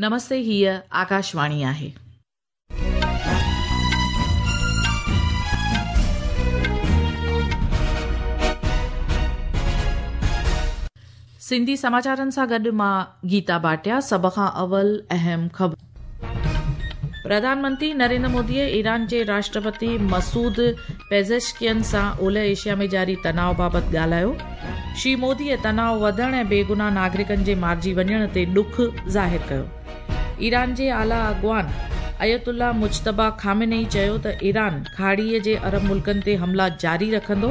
نمستي هيء آڪاشواڻي آهي. سنڌي سماچارن سان گڏ مان گيتا ڀاٽيا سڀ کان اول اهم خبرون. پرڌان منتري نريندر موديء ايران جي راشٽرپتي مسعود پيزشڪين سان اولهه ايشيا ۾ جاري تناء بابت ڳالهايو. شري موديء تناء وڌڻ ۽ بيگناهه ناگرڪن جي مارجي وڃڻ تي ڏک ظاهر ڪيو. ايران جي اعليٰ اڳواڻ آيت الله مجتبيٰ خامنه اي چيو ته ايران کاڙيء جي عرب ملڪن تي حملا جاري رکندو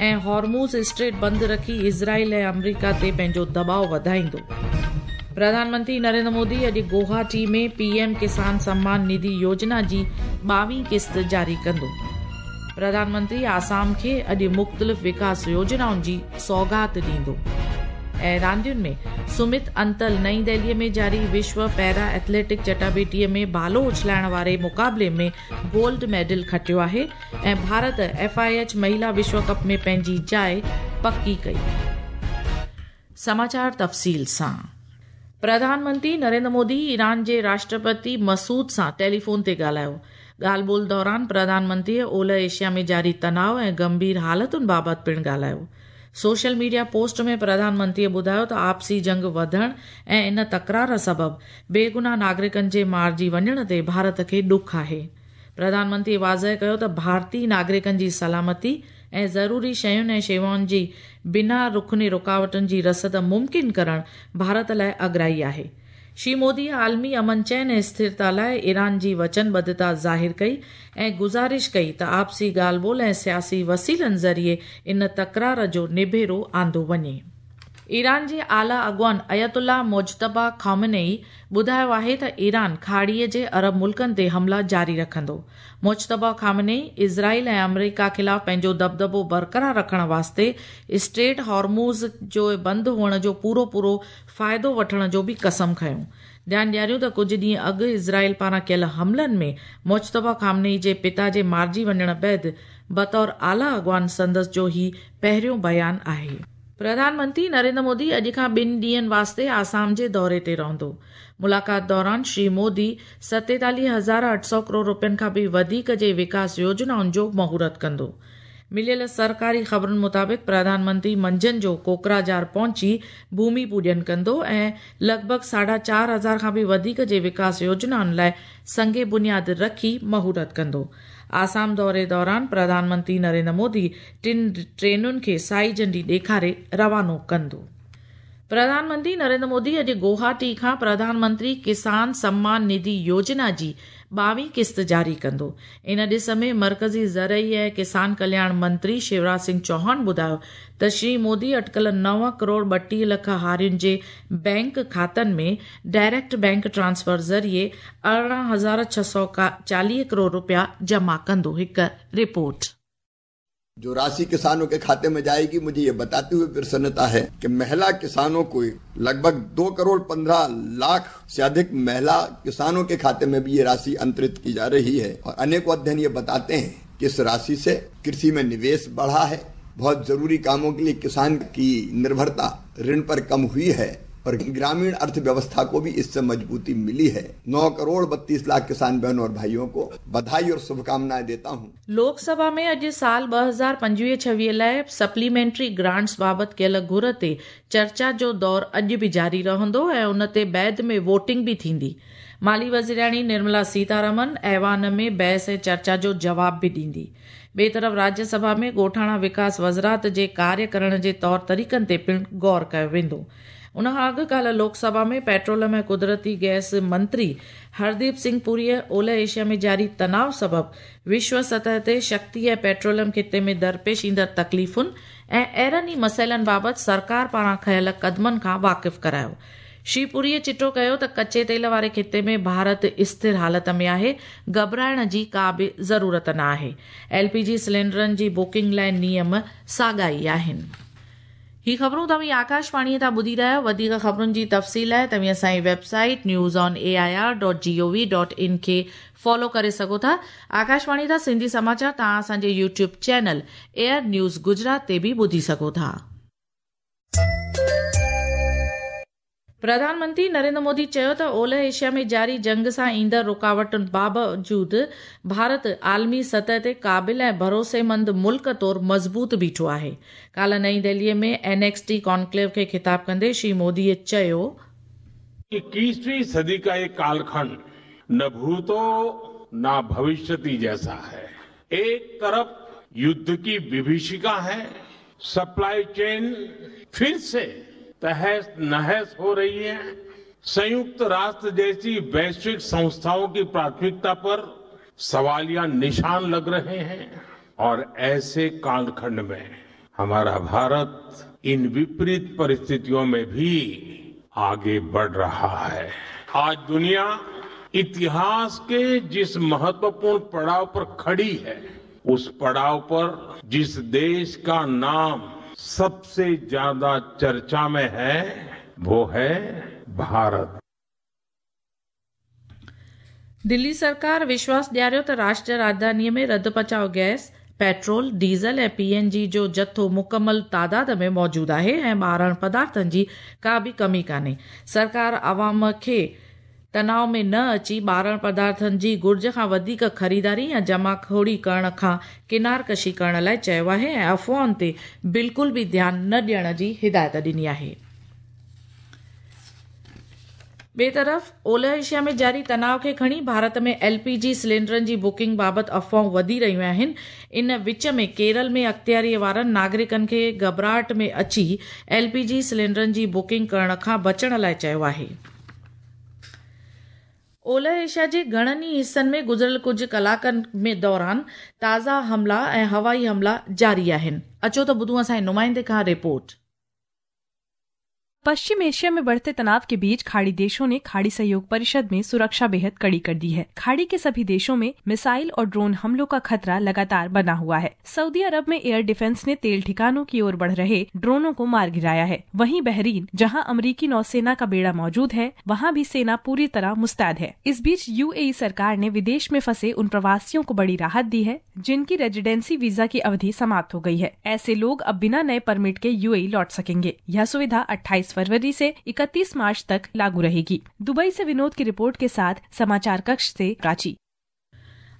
۽ هارموز اسٽريٽ بند رکي اسرائيل ۽ آمريڪا تي پنهنجو دٻاء وڌائيندو. پرڌان منتري نريندر مودي اڄ گوهاٽي ۾ پي ايم ڪسان سمان نڌي يوجنا جي ٻاويهين قسط جاري ڪندو. پرڌان منتري آسام کي اڄ مختلف وڪاس يوجنائن جي سوغات ڏيندو. ۽ راندين ۾ سمت انتل نئين دهلي ۾ جاري وشو پيرا ايٿليٽڪ چٽاڀيٽي ۾ ڀالو اڇلائڻ واري مقابلي ۾ گولڊ ميڊل کٽيو آهي ۽ ڀارت ايف I H مهيلا وشو ڪپ ۾ پنهنجي جاء پڪي ڪئي. سماچار تفصيل سان پرڌان منتري نريندر مودي ايران جي راشٽرپتي مسعود سان ٽيليفون تي ڳالهايو. ڳالهه ٻولهه دوران پرڌان منتريء اولهه ايشيا ۾ جاري تناء ۽ گنڀير حالتن بابت پڻ ڳالهايو. سوشل ميڊيا پوسٽ ۾ پرڌان منتريء ٻڌايو ته آپسي جنگ وڌڻ ۽ ان تڪرار سبب بيگناهه ناگرڪن جي مارجي وڃڻ تي ڀارت کي ڏک آهي. پرڌان منتري واضح ڪيو ته ڀارتي ناگرڪن جي سلامتي ۽ ضروري شين ۽ شيوائن جي بنا رخني رڪاوٽن جي رسد ممڪن ڪرڻ ڀارت لاء اڳرائي آهي. شري مودي عالمي امن چين ۽ اسٿرتا لاء ايران جي وچنبڌتا ظاهر ڪئي ۽ گذارش ڪئي ته آپسي ڳالهه ٻولهه ۽ سياسي وسيلن ذريعي ان تڪرار جو نبيرو آندو وڃي. ايران جي اعليٰ اڳواڻ آيت الله مجتبيٰ خامنه اي ٻڌايو آهي ته ايران کاڙيء جي عرب ملڪن تي حملا جاري رکندو. مجتبيٰ خامنه اي اسرائيل ۽ آمريڪا خلاف پنهنجو دٻدٻو برقرار رکڻ واسطي اسٽريٽ هارموز جو بند هئڻ جو پورو پورو فائدو وٺڻ جو به قسم کنيو. ڌيان ڏياريون ته ڪجهه ڏينهن اڳ اسرائيل پاران ڪيل حملن ۾ مجتبيٰ خامنه اي جي پتا جي مارجي وڃڻ بعد بطور اعليٰ اڳواڻ سندس جو هي پهريون بيان آهي. پرڌان منتري نريندر مودي اڄ کان ٻن ڏينهن واسطي آسام جي دوري تي رهندو. ملاقات دوران شري مودي 47,800 ڪروڙ روپين کان به وڌيڪ جي وڪاس يوجنائن جو مهورت ڪندو. مليل سرڪاري خبرن مطابق پرڌان منتري منجهند جو ڪوڪراجار پهچي ڀومي پوڄن ڪندو ۽ لڳ ڀڳ ساڍا چار هزار کان به وڌيڪ جي وڪاس يوجنائن لاء سنگ بنياد رکي مهورت ڪندو. آسام دوري دوران پرڌان منتري نريندر مودي ٽن ٽرينن کي سائي جهنڊي ڏيکاري روانو ڪندو. پرڌان منتري نريندر مودي اڄ گوهاٽي کان پرڌان منتري ڪسان سمان نڌي يوجنا جي ٻاويهين قسط جاري ڪندو. ان ڏس ۾ مرڪزي زرعي ۽ ڪسان ڪلياڻ منتري شيوراج سنگهه چوهاڻ ٻڌايو ته شري مودي اٽڪل نو ڪروڙ 32 لک هارين جي بئنڪ کاتن ۾ ڊائريڪٽ بئنڪ ٽرانسفر ذريعي 18,640 ڪروڙ رپيا جمع ڪندو. هڪ رپورٽ. جو راشي ڪسانون ڪي کاتي مين جائيگي مجهي يي بتاتي هوئي پرسنتا هي ڪي مهلا ڪسانون ڪو لڳ ڀڳ 2 ڪروڙ 15 لاک سي اڌڪ مهلا ڪسانون ڪي کاتي مين ڀي يي راشي انترت ڪي جا رهي هي اور انيڪون اڌين يي بتاتي هين ڪي اس راشي سي ڪرشي مين نويش بڙها هي بهت ضروري ڪامون ڪي ليي ڪسان ڪي نرڀرتا رڻ پر ڪم هئي هي اور گراميڻ ارٿ ويوسٿا ڪو ڀي اس سي مضبوطي ملي هي 9 ڪروڙ 32 لاک ڪسان بهنون اور ڀائيون ڪو بڌائي اور شڀڪامنائين ديتا هون. لوڪ سڀا ۾ اڄ سال 2025-26 لاء سپليمينٽري گرانٽس بابت ڪيل گهر تي چرچا جو دور اڄ به جاري رهندو ۽ ان تي بعد ۾ ووٽنگ به ٿيندي. مالي وزيرياڻي نرملا سيتارامن ايوان ۾ بحث ۽ چرچا جو جواب به ڏيندي. ٻئي طرف راجيه سڀا ۾ ڳوٺاڻا وڪاس وزرات جي ڪاري ڪرڻ جي طور طريقن تي پڻ غور ڪيو ويندو. ان کان اڳ ڪالهه لوڪ سڀا ۾ پيٽروليم ۽ قدرتي گئس منتري هرديپ سنگهه پوريء اولهه ايشيا ۾ جاري تناء سبب وشو سطح تي شڪتي ۽ پيٽروليم خطي ۾ درپيش ايندڙ تڪليفن ۽ اهڙن ئي مسئلن بابت سرڪار پاران کنيل قدمن کان واقف ڪرايو. شري پوريء چٽو ڪيو ته ڪچي تيل واري خطي ۾ ڀارت اسٿر حالت ۾ آهي، گهٻرائڻ جي ڪا به ضرورت نه آهي. ايل پي جي سلينڊرن جي بڪنگ لاء نيم ساڳا ئي آهن. هي خبرون توهين آڪاشواڻيء تان ٻڌي رهيا آهيو. وڌيڪ خبرن جي تفصيل لاء توهين اسان جي website news on A I R dot G O V dot in کي فالو ڪري سگهو ٿا. آڪاشواڻي تان سنڌي سماچار توهان اسان جي YouTube channel air news Gujarat تي به ٻڌي سگهو ٿا. प्रधानमंत्री नरेंद्र मोदी चयो त ओलह एशिया में जारी जंग सां ईंदड़ रुकावटुनि बावजूद भारत आलमी सतह ते क़ाबिल ऐं भरोसेमंद मुल्क तौर मज़बूत बीठो आहे। काल्ह नई दिल्लीअ में एनएक्सटी कॉन्क्लेव खे ख़िताब कंदे श्री मोदीअ चयो, 21वीं सदी का ये कालखंड न भूतो न भविष्यति जैसा है। एक तरफ युद्ध की विभीषिका है, सप्लाई चेन फिर से तहस नहस हो रही है, संयुक्त राष्ट्र जैसी वैश्विक संस्थाओं की प्राथमिकता पर सवालिया निशान लग रहे हैं और ऐसे कालखंड में हमारा भारत इन विपरीत परिस्थितियों में भी आगे बढ़ रहा है। आज दुनिया इतिहास के जिस महत्वपूर्ण पड़ाव पर खड़ी है, उस पड़ाव पर जिस देश का नाम सबसे ज्यादा चर्चा में है वो है भारत। दिल्ली सरकार विश्वास ॾियारियो त राष्ट्रीय राजधानीअ में रद्द पचाव गैस, पेट्रोल, डीज़ल ऐं पीएनजी जो जथो मुकमल तादाद में मौजूद आहे ऐं ॿारण पदार्थनि जी का बि कमी कान्हे। सरकार आवाम खे तनाव में न अची ॿारण पदार्थनि जी घुर्ज खां वधीक ख़रीदारी या जमाखोरी करण खां किनारकशी करण लाइ चयो आहे ऐं अफ़वाहुनि ते बिल्कुलु बि ध्यानु न ॾियण जी हिदायत ॾिनी आहे। ॿिए तरफ़ ओलह एशिया में जारी तनाव खे खणी भारत में एलपीजी सिलेंडरनि जी बुकिंग बाबति अफ़वाहूं वधी रहियूं आहिनि। इन विच में केरल में अख़्तियारीअ वारनि नागरिकनि खे घबराहट में अची एलपीजी सिलेंडरनि जी बुकिंग करण खां बचण लाइ चयो आहे। ओलह एशिया जे घणनि ई हिसनि में गुज़िरियल कुझु कलाकनि में दौरान ताज़ा हमला ऐं हवाई हमला जारी आहिनि। अचो त ॿुधूं असांजे नुमाइंदे खां रिपोर्ट। पश्चिम एशिया में बढ़ते तनाव के बीच खाड़ी देशों ने खाड़ी सहयोग परिषद में सुरक्षा बेहद कड़ी कर दी है। खाड़ी के सभी देशों में मिसाइल और ड्रोन हमलों का खतरा लगातार बना हुआ है। सऊदी अरब में एयर डिफेंस ने तेल ठिकानों की ओर बढ़ रहे ड्रोनों को मार गिराया है। वहीं बहरीन, जहां अमरीकी नौसेना का बेड़ा मौजूद है, वहां भी सेना पूरी तरह मुस्तैद है। इस बीच यूएई सरकार ने विदेश में फंसे उन प्रवासियों को बड़ी राहत दी है जिनकी रेजिडेंसी वीजा की अवधि समाप्त हो गई है। ऐसे लोग अब बिना नए परमिट के यूएई लौट सकेंगे। यह सुविधा 28 फरवरी से 31 मार्च तक लागू रहेगी। दुबई से विनोद की रिपोर्ट के साथ समाचार कक्ष से प्राची।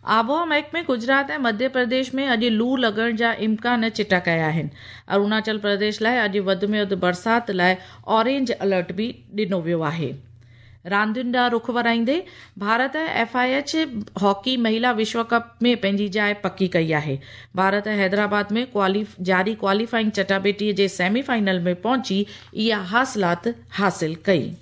आबोहवा महकमे गुजरात ऐं मध्य प्रदेश में अॼु लू लॻण जा इम्कान चिटा कया आहिनि। अरुणाचल प्रदेश लाइ अॼु वधि में वधि बरसाति लाइ ऑरेंज अलर्ट बि ॾिनो वियो आहे। रांदियुनि ॾांहुं रुख वराईंदे भारत एफआईएच हॉकी महिला विश्व कप में पंहिंजी जाइ पकी कई आहे। भारत हैदराबाद में जारी क्वालीफाइंग चटाबेटीअ जे सेमीफाइनल में पहुची इहा हासिलात हासिल कई।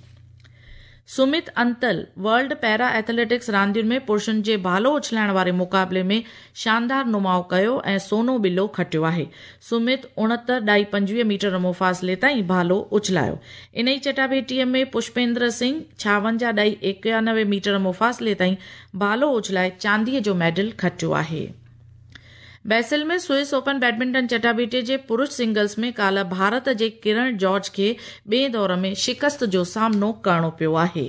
Sumit Antil world para athletics रांदियुनि में पुरुषनि जे भालो उछलाइण वारे मुक़ाबले में शानदार नुमाउ कयो ऐं सोनो बिलो खटियो आहे। सुमित 69.25 मीटर मुफ़ासिले ताईं भालो उछलायो। इन ई चटाभेटीअ में पुष्पेंद्र सिंह 56.91 मीटर मुफ़ासिले ताईं भालो उछलाए चांदीअ जो मेडल खटियो आहे। बैसिल में स्विस ओपन बैडमिंटन चटाभेटीअ जे पुरुष सिंगल्स में काल्ह भारत जे किरण जॉर्ज खे ॿिए दौर में शिकस्त जो सामनो करणो पियो आहे।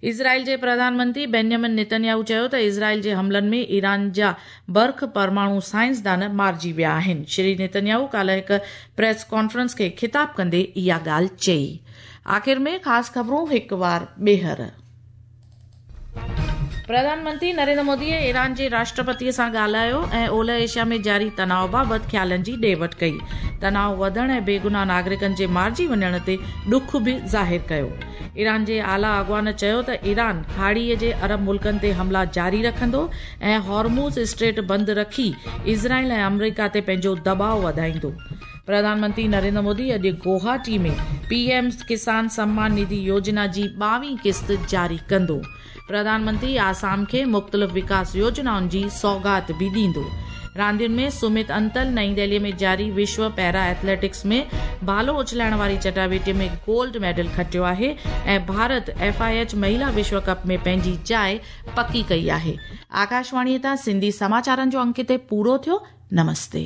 इज़राइल जे प्रधानमंत्री बेंजामिन नेतन्याहू चयो त इज़राइल जे हमलनि में ईरान जा बर्ख परमाणु साइंसदान मारिजी विया आहिनि। श्री नेतन्याहू काल्ह हिकु प्रेस कॉन्फ्रेंस खे ख़िताब कंदे इहा ॻाल्हि चई। आख़िर में ख़ासि ख़बरूं हिकु वार ॿीहर। प्रधानमंत्री नरेंद्र मोदी ईरान जे राष्ट्रपतीअ सां ॻाल्हायो ऐं ओलह एशिया में जारी तनाव बाबति ख़्यालनि जी ॾे वठ कई। तनाव वधण ऐं बेगुनाह नागरिकनि जे मारिजी वञण ते ॾुख बि ज़ाहिर कयो। ईरान जे आला अॻवान चयो त ईरान खाड़ीअ जे अरब मुल्कनि ते हमला जारी रखंदो ऐं हॉर्मूज़ स्ट्रेट बंदि रखी इज़राइल ऐं अमरीका ते पंहिंजो दबाव वधाईंदो। प्रधानमंत्री नरेंद्र मोदी अॼु गुवाहाटी में पीएम किसान सम्मान निधि योजना जी 22वीं क़िस्त जारी कंदो। प्रधानमंत्री आसाम खे मुख़्तलिफ़ विकास योजनाउनि जी सौगात बि ॾींदो। रांदियुनि में सुमित अंतल नई दिल्लीअ में जारी विश्व पैरा एथलेटिक्स में भालो उछलाइण वारी चटाभेटीअ में गोल्ड मेडल खटियो आहे ऐं भारत एफआईएच महिला विश्व कप में पंहिंजी जाइ पकी कई आहे। आकाशवाणीअ तां सिंधी समाचारनि जो अंक हिते पूरो थियो। नमस्ते।